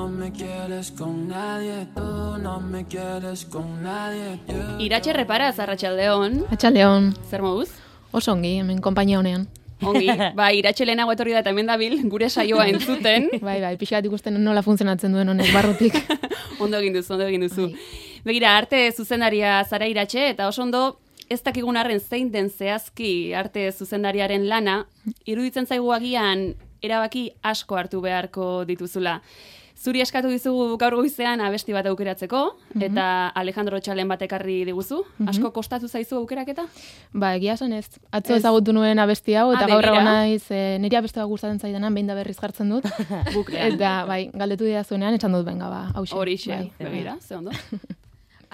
no me quieres con nadie, tú no me quieres con nadie. Iratxe Reparaz, Arratsaldeon. Atxaldeon, Zer moduz? oso ongi, hemen konpainia honean. Ongi, Iratxe lehenago etorri da eta hemen dabil, gure saioa entzuten. Bai, pixkat ikusten nola funtzionatzen duen honek barrutik. Ondo egin duzu. Begira, arte zuzendaria zara Iratxe, eta oso ondo ez dakigun arren zein den zehazki arte zuzendariaren lana, iruditzen zaigu agian erabaki asko hartu beharko dituzula. Zuri eskatu dizugu gaur goizean abesti bat aukeratzeko, eta Alejandro Txalen bat ekarri diguzu. Asko kostatu zaizu aukeraketa? Ba, egia esan ez. Atzo ezagutu nuen abesti hau, eta gaur begira. egon naiz, niri abesti bat gustatzen zaidenan, behin da berriz jartzen dut. Eta, bai, galdetu didazuenean, esan dut, benga, ba, hauxe. Horixe, Bai. begira, ze ondo.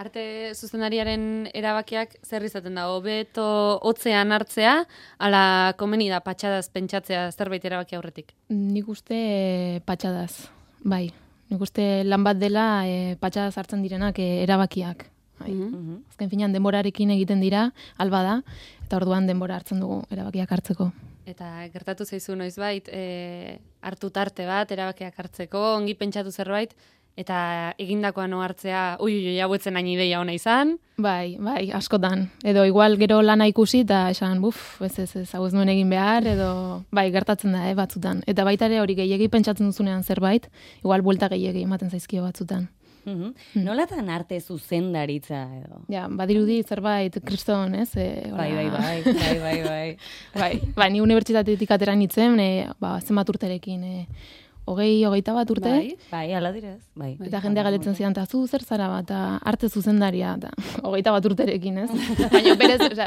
Arte zuzendariaren erabakiak zer izaten da, hobeto hotzean hartzea, ala komeni da patxadaz pentsatzea zerbait erabaki aurretik. Nik uste patxadaz, bai. Nik uste lan bat dela patxadaz hartzen direnak erabakiak. Bai. Azken finean denborarekin egiten dira, alba da, eta orduan denbora hartzen dugu erabakiak hartzeko. Eta gertatu zaizu noizbait, hartu tarte bat erabakiak hartzeko, ongi pentsatu zerbait, eta egindakoa no hartzea, hauetzen hain ideia ona izan. Bai, askotan. Edo igual gero lana ikusi eta esan, ez, hau ez nuen egin behar, edo bai, gertatzen da, batzutan. Eta baita ere hori gehiegi pentsatzen duzunean zerbait, igual buelta gehiegi ematen zaizkio batzutan. Nolatan arte zuzendaritza edo? Ja, badirudi zerbait kriston, ez? Bai, ni unibertsitatetik atera nintzen, zenbat urterekin, 20-21 urte. Bai, ala direz. Bai. Eta jendea galetzen zidan, eta zu zer zara bat, arte zuzendaria, eta 21 urterekin, ez? Baina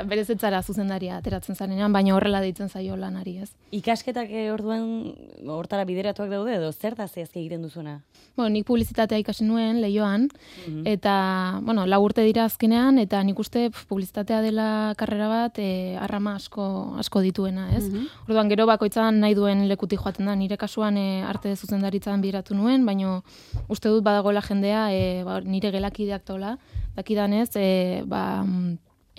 berez ez zara zuzendaria ateratzen zarenean, baina horrela deitzen zaio lanari, ez? Ikasketak orduan hortara bideratuak daude edo zer da zehazki egiten duzuna? Nik publizitatea ikasi nuen Leioan, eta, 4 urte dira azkenean, eta nik uste publizitatea dela karrera bat arrama asko dituena, ez? Orduan gero bakoitzan nahi duen lekutik joaten da, nire kasuan arte zuzendaritzan bideratu nuen, baina uste dut badagoela jendea nire gelakideak tola, dakidanez,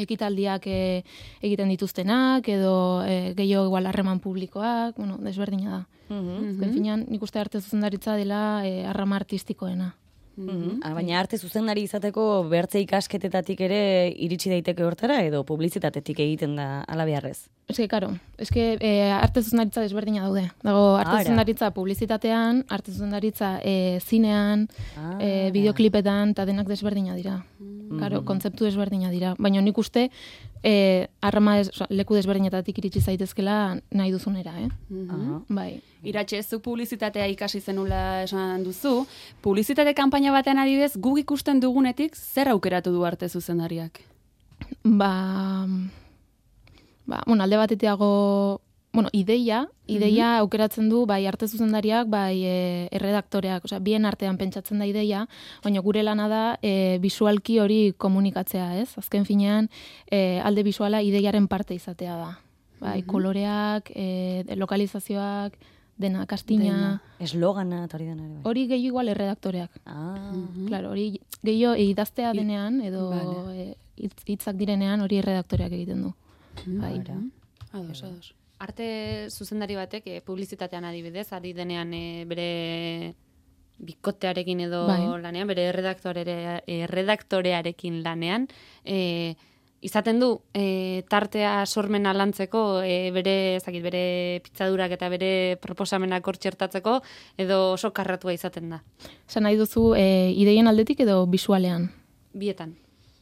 ekitaldiak egiten dituztenak, edo gehiago igual harreman publikoak, desberdina da. Azken finean, nik uste arte zuzendaritza dela arrama artistikoena. Baina arte zuzendari izateko bertze ikasketetatik ere iritsi daiteke hortara edo publizitatetik egiten da ala beharrez? Karo, arte zuzendaritza desberdina daude. Dago arte zuzendaritza publizitatean, arte zuzendaritza zinean, bideoklipetan, eta denak desberdina dira. Karo, kontzeptu desberdina dira. Baina nik uste leku desberdinetatik iritsi zaitezkela nahi duzunera, Bai. Iratxe, zu publizitatea ikasi zenula esan duzu. Publizitate kanpaina batean adibidez, guk ikusten dugunetik, zer aukeratu du arte zuzendariak? Alde batetiago, ideia aukeratzen du bai arte zuzendariak, bai erredaktoreak, bien artean pentsatzen da ideia, baina gure lana da bisualki hori komunikatzea, ez? Azken finean, alde bisuala ideiaren parte izatea da. Bai, koloreak, lokalizazioak, dena, kastina. Eslogana, eta hori dena ere. Hori gehiago igual erredaktoreak. Claro, hori gehiago idaztea denean, edo hitzak direnean hori erredaktoreak egiten du. Bai. Ados. Arte zuzendari batek publizitatean adibidez, ari denean bere bikotearekin edo lanean, bere erredaktorearekin lanean, izaten du tartea sormena lantzeko bere pitzadurak eta bere proposamenak hor txertatzeko edo oso karratua izaten da. Esan nahi duzu ideien aldetik edo bisualean? Bietan.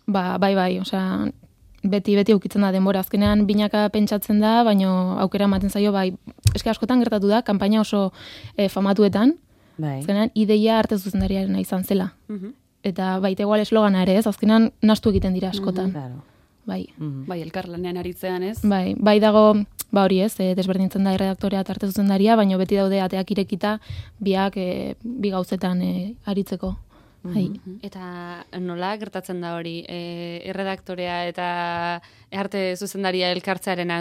Bai, osea, beti aukitzen da denbora. Azkenean binaka pentsatzen da, baina aukera ematen zaio, bai, askotan gertatu da, kanpaina oso famatuetan, azkenean ideia arte zuzendariaren izan zela. Eta baita igual eslogana ere, ez? Azkenean nahastu egiten dira askotan. Bai. Bai, elkarlanean aritzean, ez? Bai dago, hori ez, desberdintzen da erredaktorea eta arte zuzendaria, baina beti daude ateak irekita biak bi gauzetan aritzeko. Eta nola gertatzen da hori, erredaktorea eta arte zuzendaria elkartzearena,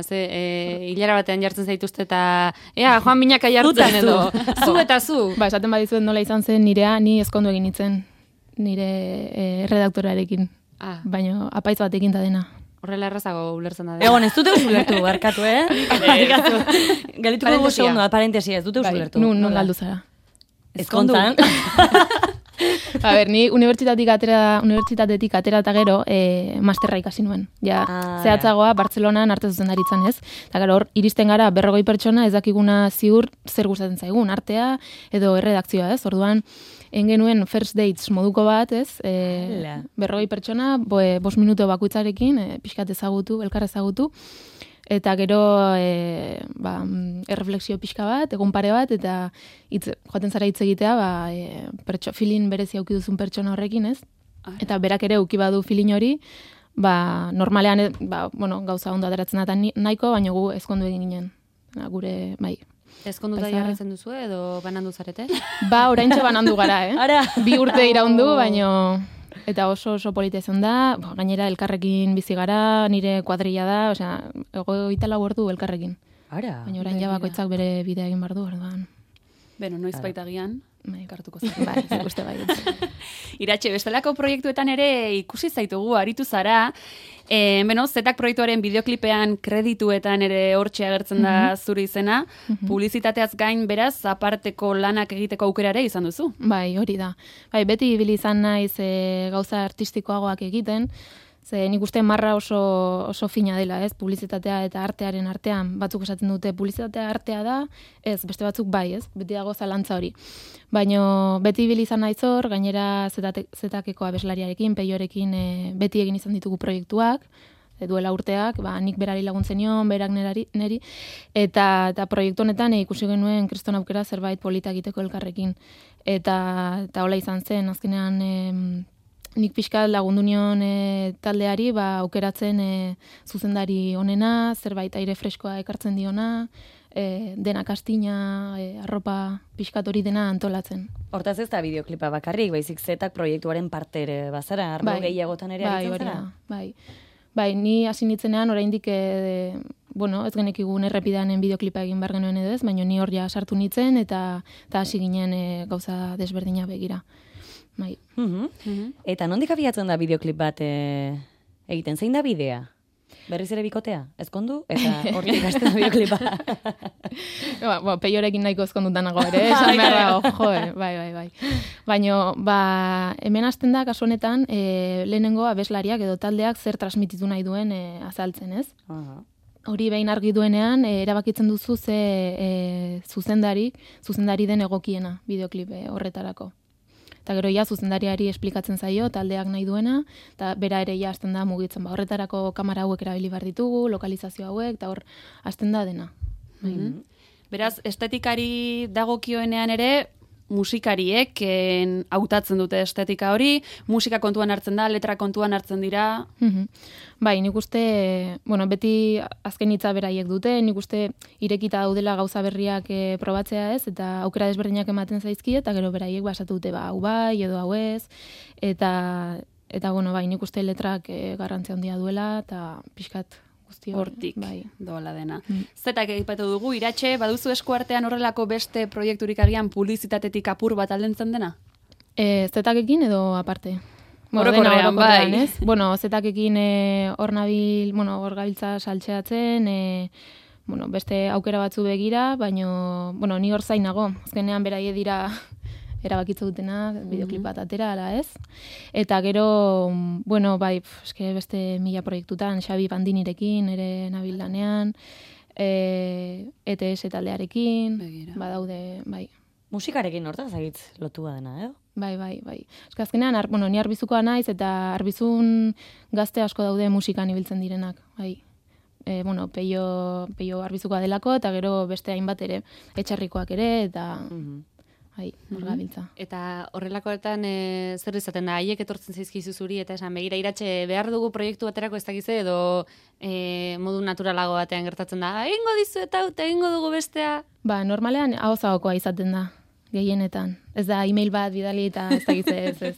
hilara batean jartzen zaituzte eta joan binaka jartzen edo, zu eta zu. Esaten badizuet nola izan zen nirea, ni ezkondu egin nitzen nire erredaktorearekin, baina apaitz batekin da dena. Horrela errazago ulertzen da. Egon, ez dute ulertu, barkatu, Galituko dugu segundu, parentesia, ez dute ulertu. Nun galdu zara. Ezkontzan. A ber, ni unibertsitatetik atera eta gero masterra ikasi nuen. Ja, zehatzagoa Bartzelonan arte zuzendaritzan, ez? Eta gero hor iristen gara 40 pertsona ez dakiguna ziur zer gustatzen zaigun, artea edo erredakzioa, ez? Orduan engenuen first dates moduko bat, ez? 40 pertsona, 5 minutu bakoitzarekin pixkat ezagutu, elkar ezagutu. Eta gero erreflexio pixka bat, egun pare bat, eta joaten zara hitz egitea, feeling berezi auki duzun pertsona horrekin, ez? Eta berak ere uki badu feeling hori, normalean gauza ondo ateratzen da nahiko, baina gu ezkondu egin ginen. Gure, bai. Ezkonduta jarretzen duzu edo banandu zarete? Oraintxe banandu gara, Ara. 2 urte iraundu, baina... Eta oso polita izan da, gainera elkarrekin bizi gara, nire kuadrilla da, osea, 24 ordu elkarrekin. Ara. Baina orain ja bakoitzak bere bidea egin bardu, orduan. Beno, noiz baitagian, kartuko zen. Bai, ikuste bai. Iratxe, bestelako proiektuetan ere ikusi zaitugu, aritu zara. Zetak proiektuaren bideoklipean kredituetan ere hortxe agertzen da zure izena. Publizitateaz gain, beraz, aparteko lanak egiteko aukera ere izan duzu. Bai, hori da. Bai, beti ibili izan naiz gauza artistikoagoak egiten, ze nik uste marra oso fina dela, ez? Publizitatea eta artearen artean. Batzuk esaten dute publizitatea artea da, ez, beste batzuk bai, ez? Beti dago zalantza hori. Baina beti ibili izan naiz hor, gainera zetakeko abeslariarekin, peiorekin beti egin izan ditugu proiektuak, duela urteak, nik berari laguntzen nion, berak neri, eta proiektu honetan ikusi genuen kriston aukera zerbait polita egiteko elkarrekin. Eta hola izan zen, azkenean nik pixka lagundu nion taldeari aukeratzen zuzendari onena, zerbait aire freskoa ekartzen diona, dena kastina, arropa pixkat hori dena antolatzen. Hortaz ez da bideoklipa bakarrik, baizik zetak proiektuaren parte ere bazara, arlo gehiagotan ere aritzen zara? Bai, ni hasi nitzenean oraindik ez genekigun errepidanen bideoklipa egin behar genuen edo ez, baina ni hor ja sartu nitzen eta hasi ginen gauza desberdina begira. Bai. Eta nondik abiatzen da bideoklip bat egiten? Zein da bidea? Berriz ere bikotea? Ezkondu? Eta hortik hasten da bideoklipa? Peiorekin nahiko ezkondutan nago ere, esan behar dago, bai. Baina, hemen hasten da, kasu honetan, lehenengo abeslariak edo taldeak zer transmititu nahi duen azaltzen, ez? Hori behin argi duenean, erabakitzen duzu ze zuzendari den egokiena bideoklip horretarako. Eta gero zuzendariari esplikatzen zaio, taldeak nahi duena, eta bera ere hasten da mugitzen. Horretarako kamera hauek erabili behar ditugu, lokalizazio hauek, eta hor hasten da dena. Beraz, estetikari dagokioenean ere, musikariek hautatzen dute estetika hori, musika kontuan hartzen da, letra kontuan hartzen dira. Bai, nik uste, beti azken hitza beraiek dute, nik uste irekita daudela gauza berriak probatzea ez, eta aukera desberdinak ematen zaizki, eta gero beraiek basatu dute, hau bai, edo hau ez, eta bai, nik uste letrak garrantzia handia duela, eta pixkat guzti hortik doala dena. Zetak egipatu dugu, Iratxe, baduzu eskuartean horrelako beste proiekturik agian publizitatetik apur bat aldentzen dena? Zetakekin edo aparte? Orokorrean, bai. Zetakekin hor nabil, hor gabiltza saltxeatzen, beste aukera batzu begira, baina, ni hor zainago, azkenean beraie dira erabakitza dutena, bideoklip bat atera, ala ez. Eta gero, beste 1000 proiektutan, Xabi Bandinirekin, ere nabil lanean, ETS taldearekin, badaude, bai. Musikarekin hortaz egitz lotua dena, edo? Bai. Azkenean, ni arbizukoa naiz, eta arbizun gazte asko daude musikan ibiltzen direnak, bai. Peio arbizukoa delako, eta gero beste hainbat ere, etxarrikoak ere, eta... Eta horrelakoetan zer izaten da, haiek etortzen zaizkizu zuri, eta esan begira Iratxe behar dugu proiektu baterako ez dakize, edo modu naturalago batean gertatzen da, egingo dizu eta egingo dugu bestea? Normalean hau zagokoa izaten da, gehienetan. Ez da, e-mail bat bidali eta ez dakize ez.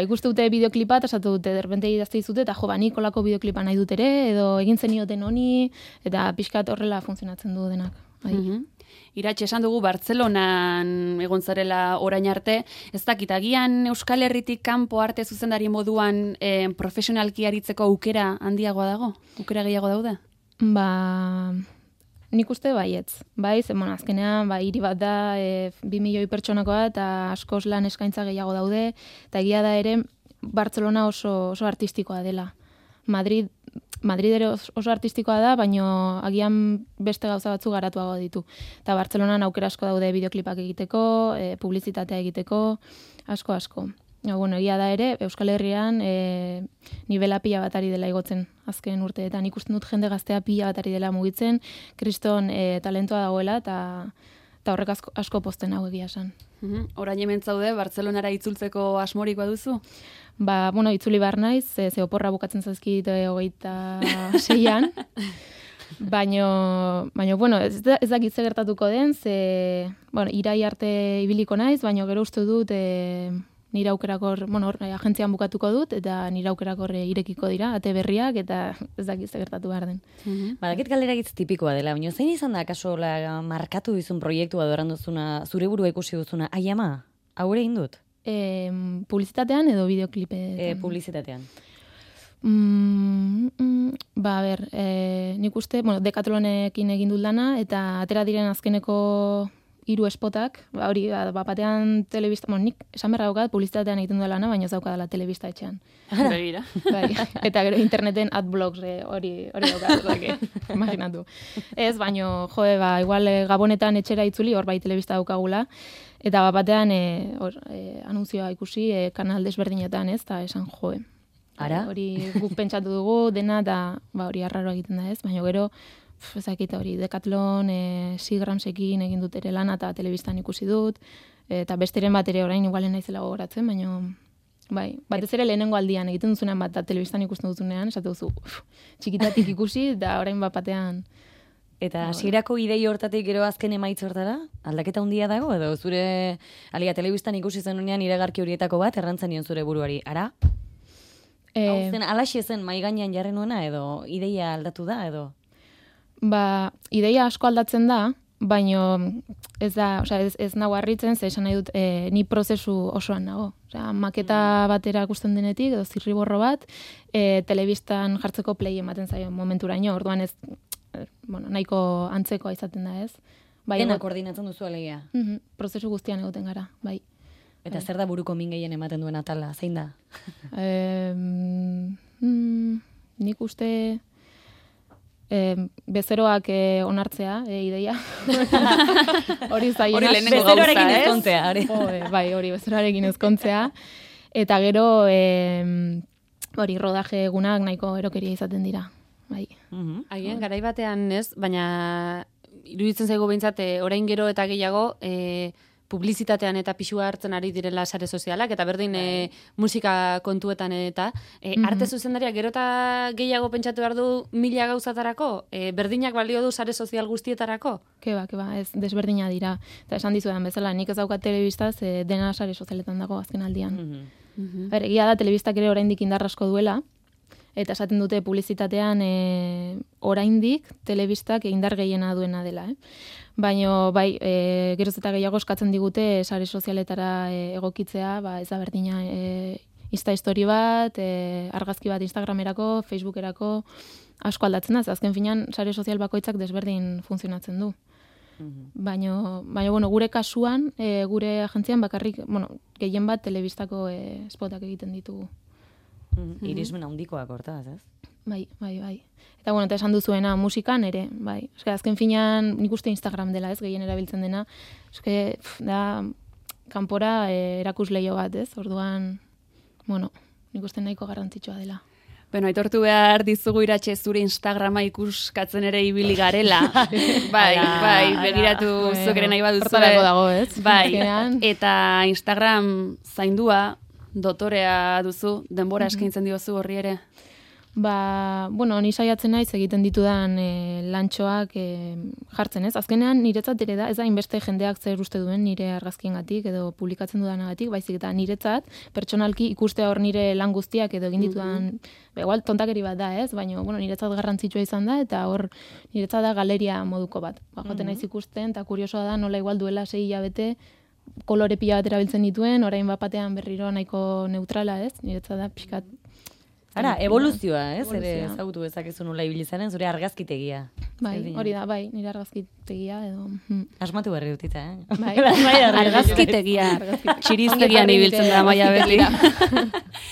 Ikuste dute bideoklipa, eta esatu dute, derbente idazte dizute, eta nik olako bideoklipa nahi dut ere, edo egin zenioten honi, eta pixkat horrela funtzionatzen du denak. Iratxe, esan dugu Bartzelonan egon zarela orain arte, ez dakit, agian Euskal Herritik kanpo arte zuzendari moduan profesionalki aritzeko aukera handiagoa dago? Aukera gehiago daude? nik uste baietz. Bai, zen, azkenean, hiri bat da, 2 milioi pertsonakoa, eta askoz lan eskaintza gehiago daude, eta egia da ere, Bartzelona oso artistikoa dela. Madrid ere oso artistikoa da, baino agian beste gauza batzu garatuago ditu. Eta Bartzelonan aukera asko daude bideoklipak egiteko, publizitatea egiteko, asko. Bueno, egia da ere, Euskal Herrian nivela pila bat ari dela igotzen azken urteetan. Ikusten dut jende gaztea pila bat ari dela mugitzen, kriston talentoa dagoela, eta horrek asko posten hau egia esan. Orain hemen zaude, Bartzelonara itzultzeko asmorik baduzu? Bueno, itzuli behar naiz, ze oporra bukatzen zaizkit 26an, baino, bueno, ez dakit ze gertatuko den, ze, bueno, irai arte ibiliko naiz, baino gero uste dut nire aukerakor, bueno, agentzian bukatuko dut, eta nire aukerakor irekiko dira, ate berriak, eta ez dakit ze gertatu behar den. Badakit galdera gitz tipikoa dela, baina zein izan da, kaso, markatu dizun proiektua doran duzuna, zure burua ikusi duzuna, ai ama, haure indut? Publizitatean edo bideoklipetan? Publizitatean. Nik uste, bueno, Decatlonekin egin dut lana, eta atera diren azkeneko 3 spotak, hori, batean telebista, nik esan berra daukat, publizitatean egiten dut lana, baina ez daukadala telebista etxean. Begira. Eta gero interneten adblogs hori daukat, imaginatu. Ez, baino, igual Gabonetan etxera itzuli, hor bai telebista daukagula, eta batean anunzioa ikusi kanal desberdinetan, ez, eta esan Ara? Hori guk pentsatu dugu, dena, eta hori arraro egiten da, ez, baina gero, ezakit hori, Decathlon, Sigramsekin egin dut ere lana, eta telebistan ikusi dut, eta besteren bat ere orain igualen naizela gogoratzen, baina, bai, batez ere lehenengo aldian egiten duzunean bat, eta telebistan ikusten duzunean, esate duzu, txikitatik ikusi, eta orain bat batean. Eta hasierako idei hortatik gero azken emaitz hortara, aldaketa handia dago, edo zure, telebistan ikusi zenunean iragarki horietako bat, errantzen nion zure buruari, ara? Hau zen, alaxe zen mai gainean jarri nuena, edo ideia aldatu da, edo? Ideia asko aldatzen da, baino ez da, ez nago harritzen, ze esan nahi dut, ni prozesu osoan nago. Maketa batera ikusten denetik, edo zirriborro bat, telebistan jartzeko play ematen zaio momenturaino, orduan ez, nahiko antzekoa izaten da, ez? Dena koordinatzen duzu alegia. Prozesu guztian egoten gara, bai. Eta zer da buruko min gehien ematen duen atala, zein da? Nik uste bezeroak onartzea, ideia. Hori zailena. Bezeroarekin ezkontzea. Bai, hori bezeroarekin ezkontzea. Eta gero, hori rodaje egunak nahiko erokeria izaten dira. Bai. Agian, garai batean ez, baina iruditzen zaigu behintzat, orain gero eta gehiago, publizitatean eta pixua hartzen ari direla sare sozialak, eta berdin musika kontuetan eta arte zuzendaria gero eta gehiago pentsatu behar du 1000 gauzatarako, berdinak balio du sare sozial guztietarako? Keba, ez desberdina dira. Eta esan dizudan bezala, nik ez daukat telebistaz dena sare sozialetan dago azken aldian. Egia da, telebistak ere oraindik indar asko duela, eta esaten dute publizitatean oraindik telebistak indar gehiena duena dela. Baina, bai, geroz eta gehiago eskatzen digute sare sozialetara egokitzea, ez da berdina Insta story bat, argazki bat Instagramerako, Facebookerako, asko aldatzen da, azken finean sare sozial bakoitzak desberdin funtzionatzen du. Baina, gure kasuan, gure agentzian bakarrik, gehien bat telebistako spotak egiten ditugu. Irismen handikoak hortaz, ez? Bai. Eta eta esan duzuena musikan ere, bai. Azken finean nik uste Instagram dela, ez, gehien erabiltzen dena. Da, kanpora erakusleio bat, ez? Orduan, nik uste nahiko garrantzitsua dela. Aitortu behar dizugu Iratxe zure Instagrama ikuskatzen ere ibili garela. Bai, begiratu zukeren nahi baduzu. Hortarako dago, ez? Bai, eta Instagram zaindua, dotorea duzu, denbora eskaintzen diozu horri ere? Ni saiatzen naiz egiten ditudan lantxoak jartzen, ez? Azkenean niretzat ere da, ez da inbeste jendeak zer uste duen nire argazkiengatik edo publikatzen dudanagatik, baizik eta niretzat pertsonalki ikustea hor nire lan guztiak edo egin ditudan, igual tontakeri bat da, ez? Baina, niretzat garrantzitsua izan da, eta hor niretzat da galeria moduko bat. Joaten naiz ikusten, eta kuriosoa da, nola igual duela 6 hilabete, kolore pila bat erabiltzen dituen, orain bat batean berriro nahiko neutrala, ez? Niretzat da, pixkat, Ara, evoluzioa, ez? Ere Evoluzioa. ezagutu dezakezu nola ibili zaren zure argazkitegia. Bai, hori da, bai, nire argazkitegia edo... Asmatu berri dutita, eh? Bai, Argazkitegia. Txiriztegian ibiltzen da maia beti.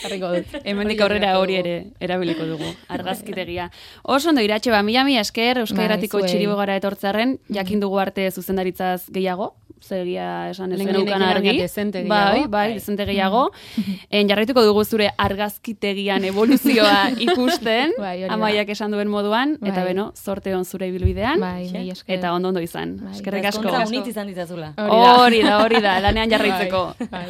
Jarriko dut. Hemendik aurrera hori ere erabiliko dugu. Argazkitegia. Oso ondo Iratxe, mila esker Euskal Irratiko zuei. txiribogara etortzearren, jakin dugu arte zuzendaritzaz gehiago. Zegia esan ez Lehenengo zenukan argi. baina dezente gehiago. Bai, dezente gehiago. Jarraituko dugu zure argazkitegian evoluzioa ikusten, Bai, hori da. Amaiak esan duen moduan, eta Bai. beno, zorte on zure ibilbidean, Bai, mila esker. eta ondo izan. Bai. Eskerrik asko. Ezkontza unitz izan ditazula. Hori da, lanean jarraitzeko. Bai.